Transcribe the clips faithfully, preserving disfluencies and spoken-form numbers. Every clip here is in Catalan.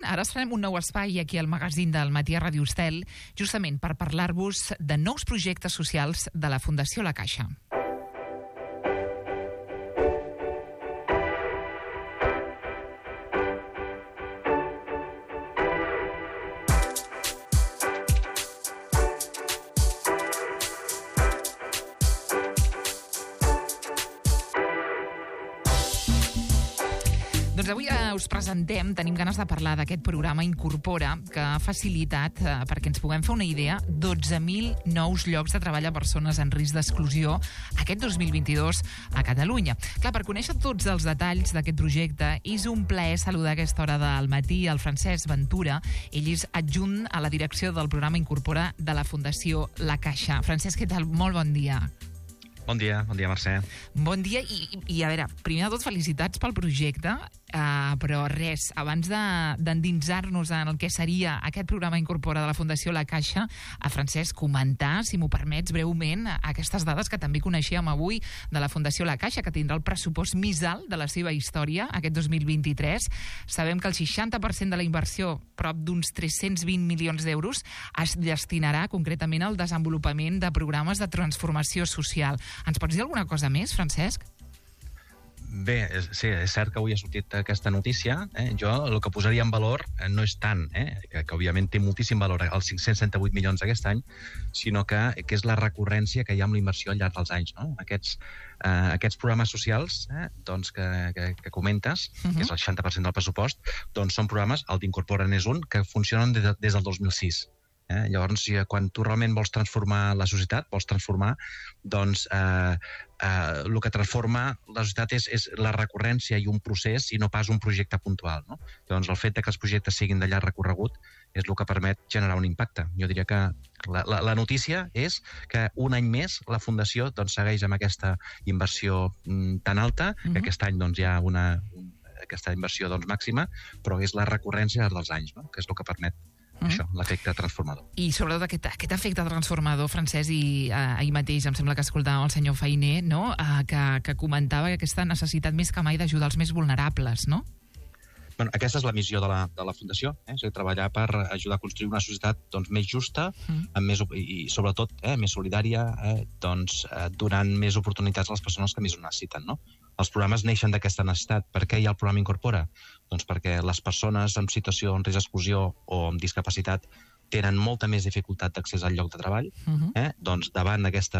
ara estarem un nou espai aquí al magazín del Matí a Ràdio Estel, justament per parlar-vos de nous projectes socials de la Fundació La Caixa. Doncs avui eh, us presentem, tenim ganes de parlar d'aquest programa Incorpora, que ha facilitat, eh, perquè ens puguem fer una idea, dotze mil nous llocs de treball a persones en risc d'exclusió aquest dos mil vint-i-dos a Catalunya. Clar, per conèixer tots els detalls d'aquest projecte, és un plaer saludar a aquesta hora del matí el Francesc Ventura. Ell és adjunt a la direcció del programa Incorpora de la Fundació La Caixa. Francesc, què tal? Molt bon dia. Bon dia, bon dia, Mercè. Bon dia i, i a veure, primer de tot, felicitats pel projecte, uh, però res, abans d'endinsar-nos en el que seria aquest programa Incorpora de la Fundació La Caixa, a Francesc, comentar, si m'ho permets, breument, aquestes dades que també coneixíem avui de la Fundació La Caixa, que tindrà el pressupost més alt de la seva història aquest dos mil vint-i-tres. Sabem que el seixanta per cent de la inversió, prop d'uns tres-cents vint milions d'euros, es destinarà concretament al desenvolupament de programes de transformació social. Ens pots dir alguna cosa més, Francesc? Bé, és, sí, és cert que avui ha sortit aquesta notícia. Eh? Jo el que posaria en valor eh, no és tant, eh? que, que òbviament té moltíssim valor els cinc-cents setanta-vuit milions aquest any, sinó que, que és la recurrència que hi ha amb la inversió al llarg dels anys. No? Aquests, eh, aquests programes socials eh, doncs que, que, que comentes, uh-huh. que és el seixanta per cent del pressupost, doncs són programes, el d'Incorpora n'és un, que funcionen des, de, des del dos mil sis. Eh? Llavors, quan tu realment vols transformar la societat, vols transformar, doncs eh, eh, el que transforma la societat és, és la recurrència i un procés i no pas un projecte puntual. No? Llavors, el fet que els projectes siguin de llarg recorregut és el que permet generar un impacte. Jo diria que la, la, la notícia és que un any més la Fundació doncs, segueix amb aquesta inversió mm, tan alta, uh-huh. que aquest any doncs, hi ha una, un, aquesta inversió doncs, màxima, però és la recurrència dels anys, no? que és el que permet Mm. això, l'efecte transformador. I sobretot aquest, aquest efecte transformador, Francesc, i eh, ahir mateix em sembla que escoltàvem el senyor Feiner, no? eh, que, que comentava aquesta necessitat més que mai d'ajudar els més vulnerables, no? Bueno, aquesta és la missió de la, de la Fundació, eh? és a dir, treballar per ajudar a construir una societat doncs, més justa mm. amb més, i sobretot eh, més solidària, eh, doncs, eh, donant més oportunitats a les persones que més ho necessiten. No? Els programes neixen d'aquesta necessitat. Per què hi ha el programa Incorpora? Doncs perquè les persones en situació en risc d'exclusió o amb discapacitat tenen molta més dificultat d'accés al lloc de treball. Uh-huh. eh? Doncs davant d'aquest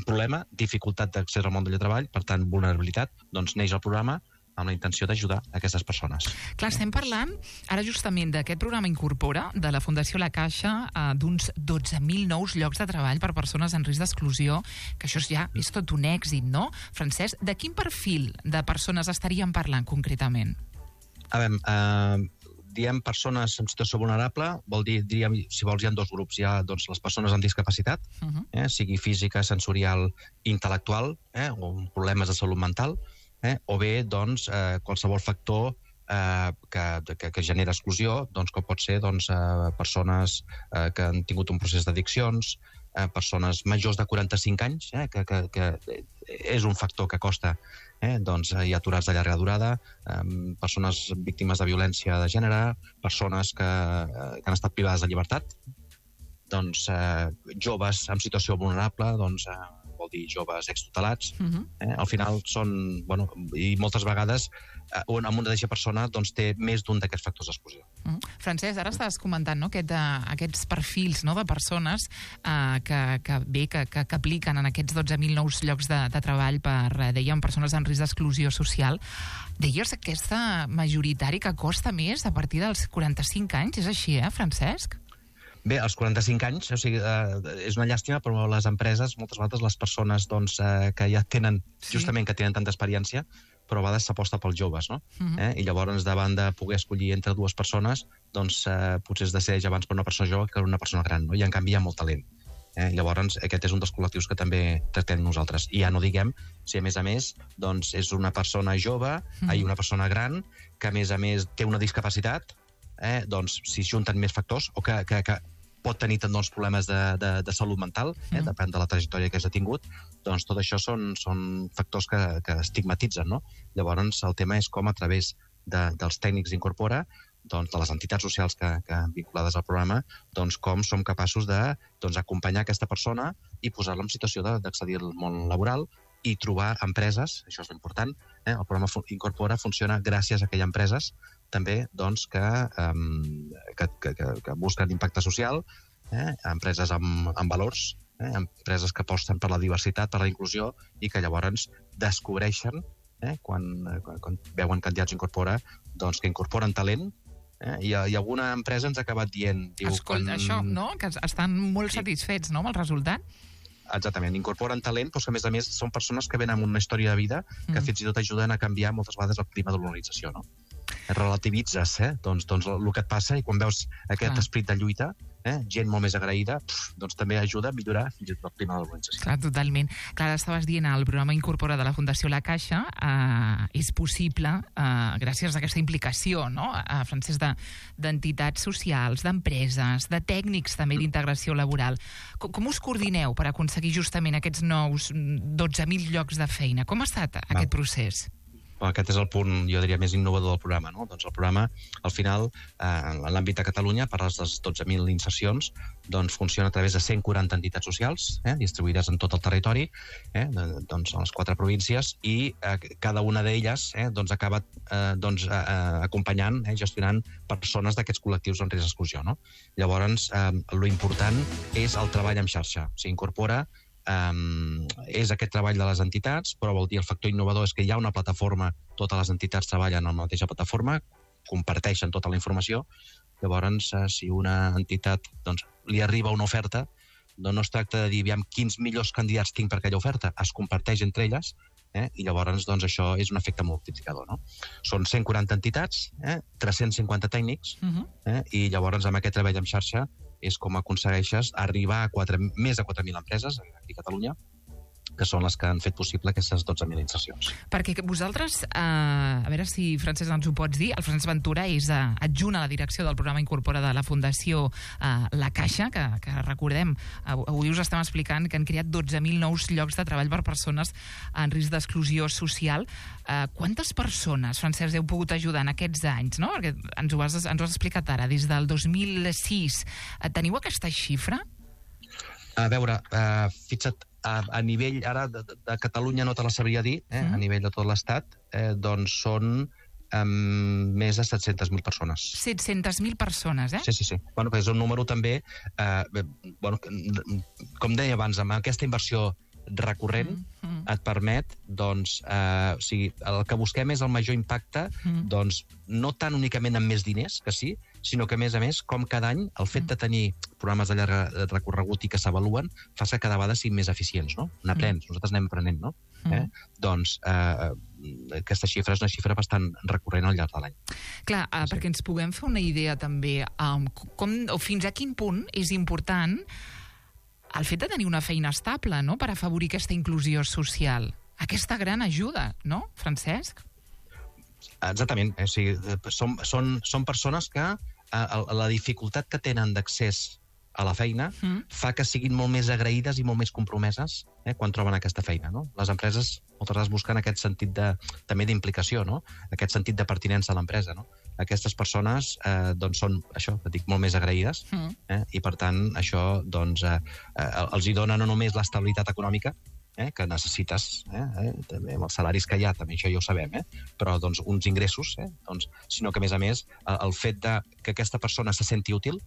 problema, dificultat d'accés al món del lloc de treball, per tant, vulnerabilitat, doncs neix el programa amb la intenció d'ajudar aquestes persones. Clar, estem parlant ara justament d'aquest programa Incorpora de la Fundació La Caixa, eh, d'uns dotze mil nous llocs de treball per persones en risc d'exclusió, que això ja és tot un èxit, no? Francesc, de quin perfil de persones estaríem parlant concretament? A veure, eh, diem persones en situació vulnerable, vol dir, diríem, si vols, hi ha dos grups. Hi ha doncs, les persones amb discapacitat, uh-huh. eh, sigui física, sensorial, intel·lectual, eh, o problemes de salut mental, Eh, o bé doncs, eh, qualsevol factor eh, que, que, que genera exclusió, doncs, com pot ser doncs, eh, persones eh, que han tingut un procés d'addiccions, eh, persones majors de quaranta-cinc anys, eh, que, que, que és un factor que costa, eh, doncs, hi ha aturats de llarga durada, eh, persones víctimes de violència de gènere, persones que, eh, que han estat privades de llibertat, doncs, eh, joves en situació vulnerable, doncs, eh, vol dir joves extutelats, uh-huh. eh? Al final són, bueno, i moltes vegades eh, una mateixa persona doncs, té més d'un d'aquests factors d'exclusió. Uh-huh. Francesc, ara estàs comentant no, aquest, uh, aquests perfils no, de persones uh, que, que, bé, que, que, que apliquen en aquests dotze mil nous llocs de, de treball per, uh, dèiem, persones en risc d'exclusió social. Deies aquesta majoritari que costa més a partir dels quaranta-cinc anys, és així, eh, Francesc? Bé, als quaranta-cinc anys, o sigui, eh, és una llàstima, però les empreses, moltes vegades les persones doncs, eh, que ja tenen, sí. justament que tenen tanta experiència, però a vegades s'aposta pels joves, no? Uh-huh. eh? I llavors, davant de poder escollir entre dues persones, doncs eh, potser es decideix abans per una persona jove que per una persona gran, no? I en canvi hi ha molt talent. Eh? Llavors, aquest és un dels col·lectius que també tractem nosaltres. I ja no diguem si, a més a més, doncs, és una persona jove uh-huh. i una persona gran que, a més a més, té una discapacitat, eh? doncs, si junten més factors, o que, que, que pot tenir doncs, problemes de, de, de salut mental, eh? mm. depèn de la trajectòria que has tingut, doncs tot això són, són factors que, que estigmatitzen, no? Llavors el tema és com a través de, dels tècnics d'Incorpora doncs, de les entitats socials que, que vinculades al programa, doncs, com som capaços de doncs, acompanyar aquesta persona i posar-la en situació d'accedir al món laboral i trobar empreses, això és important, eh? El programa Incorpora funciona gràcies a aquelles empreses també doncs, que, um, que, que, que busquen impacte social, eh? Empreses amb, amb valors, eh? Empreses que aposten per la diversitat, per la inclusió i que llavors descobreixen, eh? quan, quan, quan veuen candidats Incorpora, doncs, que incorporen talent. Eh? I, I alguna empresa ens ha acabat dient... Diu, Escolta, quan... això, no? Que estan molt sí. satisfets, no?, amb el resultat. Exactament, incorporen talent, però que a més a més són persones que venen amb una història de vida que mm. fins i tot ajuden a canviar moltes vegades el clima de l'organització, no? Relativitzes, eh? Doncs, doncs el que et passa i quan veus aquest ah. esperit de lluita, eh? gent molt més agraïda, pf, doncs també ajuda a millorar fins i tot el clima de l'organització. Clar, totalment. Clar, estaves dient, el programa Incorpora de la Fundació La Caixa eh, és possible eh, gràcies a aquesta implicació, no?, a Francesc, d'entitats socials, d'empreses, de tècnics també d'integració laboral. Com, com us coordineu per aconseguir justament aquests nous dotze mil llocs de feina? Com ha estat Va. aquest procés? Aquest és el punt, jo diria, més innovador del programa, no? Doncs el programa, al final, eh, en l'àmbit de Catalunya, per les dotze mil insercions, doncs funciona a través de cent quaranta entitats socials, eh, distribuïdes en tot el territori, eh, doncs a les quatre províncies, i eh, cada una d'elles eh, doncs acaba eh, doncs, eh, acompanyant, eh, gestionant persones d'aquests col·lectius en risc d'exclusió, no? Llavors, eh, lo important és el treball en xarxa. S'incorpora Um, és aquest treball de les entitats, però vol dir el factor innovador és que hi ha una plataforma, totes les entitats treballen en la mateixa plataforma, comparteixen tota la informació. Llavors, eh, si una entitat doncs, li arriba una oferta, doncs no es tracta de dir aviam quins millors candidats tinc per aquella oferta, es comparteix entre elles, eh, i llavors doncs, això és un efecte multiplicador, no? Són cent quaranta entitats, eh, tres-cents cinquanta tècnics, uh-huh. eh, i llavors amb aquest treball en xarxa és com aconsegueixes arribar a quatre, més de quatre mil empreses aquí a Catalunya, que són les que han fet possible aquestes dotze mil insercions. Perquè vosaltres, eh, a veure si, Francesc, ens ho pots dir, el Francesc Ventura és eh, adjunt a la direcció del programa Incorpora de la Fundació eh, La Caixa, que, que recordem, avui us estem explicant que han creat dotze mil nous llocs de treball per persones en risc d'exclusió social. Eh, quantes persones, Francesc, heu pogut ajudar en aquests anys, no? Perquè ens ho has, ens ho has explicat ara, des del dos mil sis. Eh, teniu aquesta xifra? A veure, uh, fixa't, a, a nivell ara de, de Catalunya no te la sabria dir, eh? Mm. A nivell de tot l'Estat, eh, doncs són um, més de set-centes mil persones. set-centes mil persones, eh? Sí, sí, sí. Bueno, és un número també, eh, bueno, com deia abans, amb aquesta inversió recurrent mm, mm. et permet, doncs, eh, o sigui, el que busquem és el major impacte, mm. doncs, no tan únicament amb més diners, que sí, sinó que, a més a més, com cada any, el fet de tenir programes de llarg recorregut i que s'avaluen fa que cada vegada siguin més eficients, no? N'aprens, mm. nosaltres anem aprenent, no? Mm. Eh? Doncs eh, aquesta xifra és una xifra bastant recurrent al llarg de l'any. Clar, eh, sí. perquè ens puguem fer una idea també, um, com, o fins a quin punt és important el fet de tenir una feina estable, no?, per afavorir aquesta inclusió social. Aquesta gran ajuda, no, Francesc? Exactament. O sigui, són, són, són persones que eh, la dificultat que tenen d'accés a la feina mm. fa que siguin molt més agraïdes i molt més compromeses eh, quan troben aquesta feina, no? Les empreses moltes vegades busquen aquest sentit de, també d'implicació, no? Aquest sentit de pertinença a l'empresa, no? Aquestes persones eh, doncs són, això, que dic, molt més agraïdes mm. eh, i, per tant, això doncs, eh, eh, els hi dona no només l'estabilitat econòmica eh, que necessites, eh, eh, també amb els salaris que hi ha, també això ja ho sabem, eh, però doncs, uns ingressos, eh, doncs, sinó que, a més a més, el, el fet de que aquesta persona se senti útil,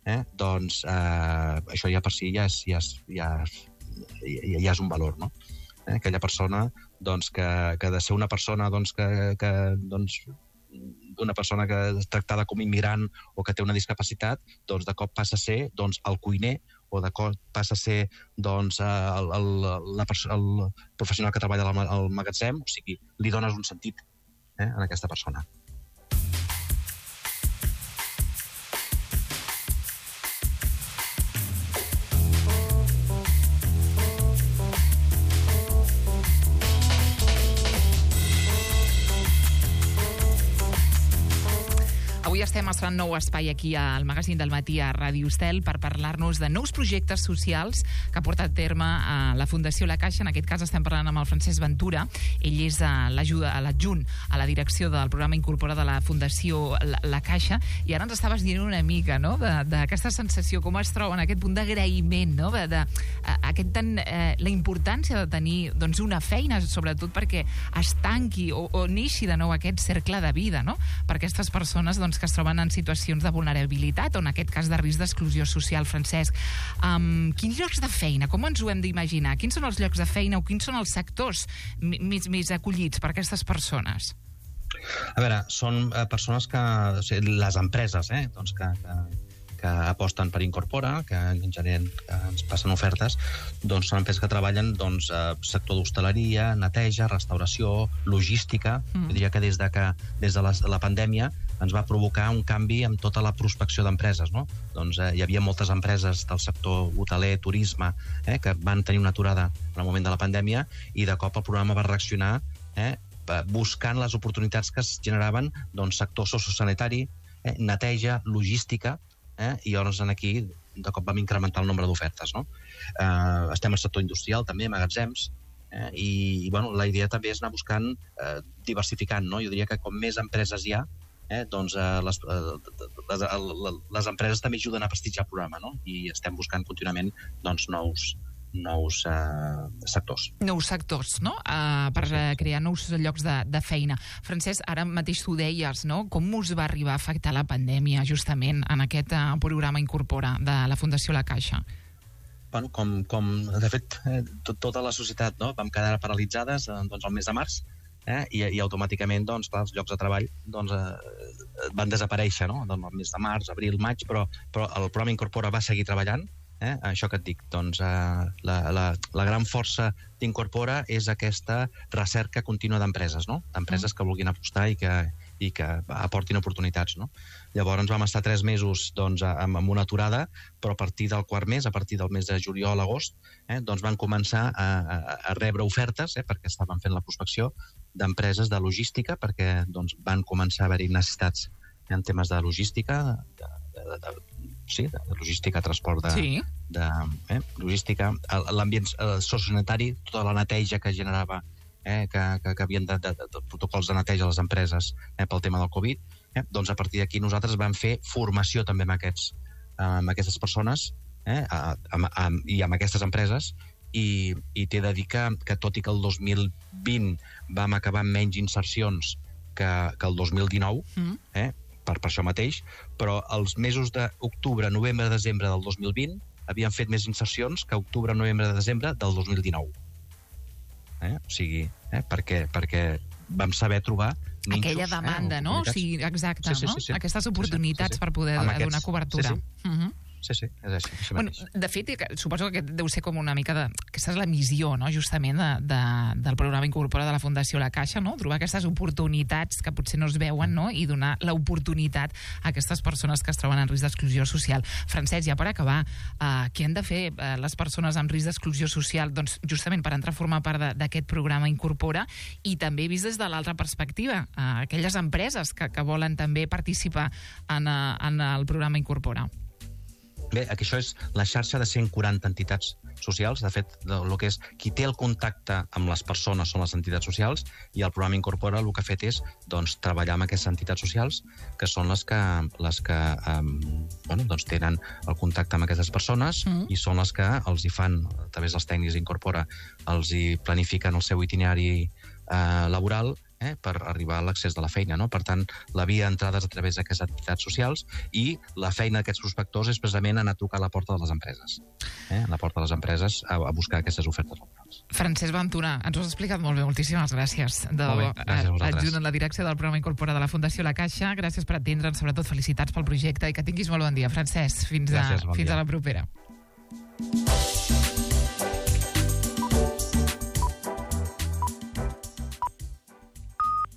eh, doncs eh, això ja per si ja és, ja és, ja és, ja, ja és un valor, no? Eh, aquella persona doncs, que, que ha de ser una persona doncs, que, que doncs, una persona que és tractada com immigrant o que té una discapacitat, doncs de cop passa a ser doncs, el cuiner o de cop passa a ser doncs, el, el, la el professional que treballa al magatzem, o sigui, li dones un sentit eh, a aquesta persona. Avui estem estem estrenant nou espai aquí al magazín del matí a Ràdio Estel per parlar-nos de nous projectes socials que ha portat a terme a la Fundació La Caixa. En aquest cas estem parlant amb el Francesc Ventura. Ell és l'adjunt a la direcció del programa Incorpora de la Fundació La, la Caixa, i ara ens estaves dient una mica, no?, d'aquesta sensació, com es troba en aquest punt d'agraïment, no?, de, de, aquest tan, eh, la importància de tenir doncs, una feina, sobretot perquè es tanqui o, o neixi de nou aquest cercle de vida, no?, per aquestes persones doncs, que es troben en situacions de vulnerabilitat o en aquest cas de risc d'exclusió social. Francesc, um, quins llocs de feina, com ens ho hem d'imaginar? Quins són els llocs de feina o quins són els sectors més, més acollits per aquestes persones? A veure, són eh, persones que... O sigui, les empreses, eh, doncs que, que, que aposten per Incorpora, que en generen, que ens passen ofertes, doncs són empreses que treballen doncs, eh, sector d'hostaleria, neteja, restauració, logística. Mm. Jo diria que des de, que, des de la, la pandèmia ens va provocar un canvi en tota la prospecció d'empreses, no? Doncs eh, hi havia moltes empreses del sector hoteler, turisme, eh, que van tenir una aturada en el moment de la pandèmia, i de cop el programa va reaccionar, eh, buscant les oportunitats que es generaven doncs, sector sociosanitari, eh, neteja, logística, eh, i llavors aquí de cop vam incrementar el nombre d'ofertes, no? Eh, estem al sector industrial també, magatzems, eh, i, i bueno, la idea també és anar buscant, eh, diversificant, no? Jo diria que com més empreses hi ha, eh, doncs eh, les, eh, les, les empreses també ajuden a prestigiar el programa, no? I estem buscant contínuament doncs, nous nous eh, sectors. Nous sectors, no? Uh, per uh, crear nous llocs de, de feina. Francesc, ara mateix tu deies, no?, com us va arribar a afectar la pandèmia justament en aquest uh, programa Incorpora de la Fundació La Caixa? Bueno, com, com de fet, eh, tot, tota la societat, no?, vam quedar paralitzades eh, doncs, el mes de març, eh, i, i automàticament doncs, clar, els llocs de treball doncs, eh, van desaparèixer, no?, doncs, el mes de març, abril, maig, però, però el programa Incorpora va seguir treballant. Eh? Això que et dic, doncs eh, la, la, la gran força d'Incorpora és aquesta recerca contínua d'empreses, no? D'empreses que vulguin apostar i que, i que aportin oportunitats, no? Llavors vam estar tres mesos doncs, amb, amb una aturada, però a partir del quart mes, a partir del mes de juliol a agost, eh, doncs van començar a, a, a rebre ofertes, eh, perquè estaven fent la prospecció d'empreses de logística, perquè doncs, van començar a haver-hi necessitats en temes de logística, de, de, de, de sí, de logística, transport de, sí. de eh, logística, l'ambient eh, sociosanitari, tota la neteja que generava, eh, que, que, que havien de, de, de protocols de neteja a les empreses eh, pel tema del Covid, eh, doncs a partir d'aquí nosaltres vam fer formació també amb, aquests, eh, amb aquestes persones eh, a, a, a, i amb aquestes empreses, i, i t'he de dir que, que tot i que el dos mil vint vam acabar amb menys insercions que, que el dos mil dinou, mm. eh, Per, per això mateix, però els mesos d'octubre, novembre, desembre del dos mil vint havien fet més insercions que octubre, novembre, desembre del dos mil dinou. Eh? O sigui, eh? perquè, perquè vam saber trobar ninxos, aquella demanda, eh? no? O sigui, exacte, sí, sí, sí, sí. no? Aquestes oportunitats sí, sí, sí. per poder amb donar aquests, cobertura. Sí, sí. Uh-huh. Sí, sí, és així. així bueno, de fet, suposo que deu ser com una mica de... Aquesta és la missió, no?, justament, de, de, del programa Incorpora de la Fundació La Caixa, no?, trobar aquestes oportunitats que potser no es veuen, no?, i donar l'oportunitat a aquestes persones que es troben en risc d'exclusió social. Francesc, ja per acabar, eh, què han de fer eh, les persones amb risc d'exclusió social, doncs, justament per entrar a formar part d'aquest programa Incorpora, i també vist des de l'altra perspectiva, eh, aquelles empreses que, que volen també participar en, en el programa Incorpora? Bé, aquí això és la xarxa de cent quaranta entitats socials. De fet, el que és qui té el contacte amb les persones són les entitats socials, i el programa Incorpora el que ha fet és doncs, treballar amb aquestes entitats socials, que són les que, les que um, bueno, doncs, tenen el contacte amb aquestes persones, mm. i són les que els hi fan, a través dels tècnics d'Incorpora, els hi planifiquen el seu itinerari eh, laboral, Eh, per arribar a l'accés de la feina, no? Per tant, la via d'entrada és a través d'aquestes entitats socials, i la feina d'aquests prospectors és precisament anar a trucar a la porta de les empreses. Eh? A la porta de les empreses a, a buscar aquestes ofertes laborals. Francesc Ventura, ens ho has explicat molt bé, moltíssimes gràcies. De, molt bé, gràcies a vosaltres. Adjunt en la direcció del programa Incorpora de la Fundació La Caixa. Gràcies per atendre'ns, sobretot felicitats pel projecte, i que tinguis molt bon dia, Francesc. Fins, gràcies, a, bon fins dia. a la propera.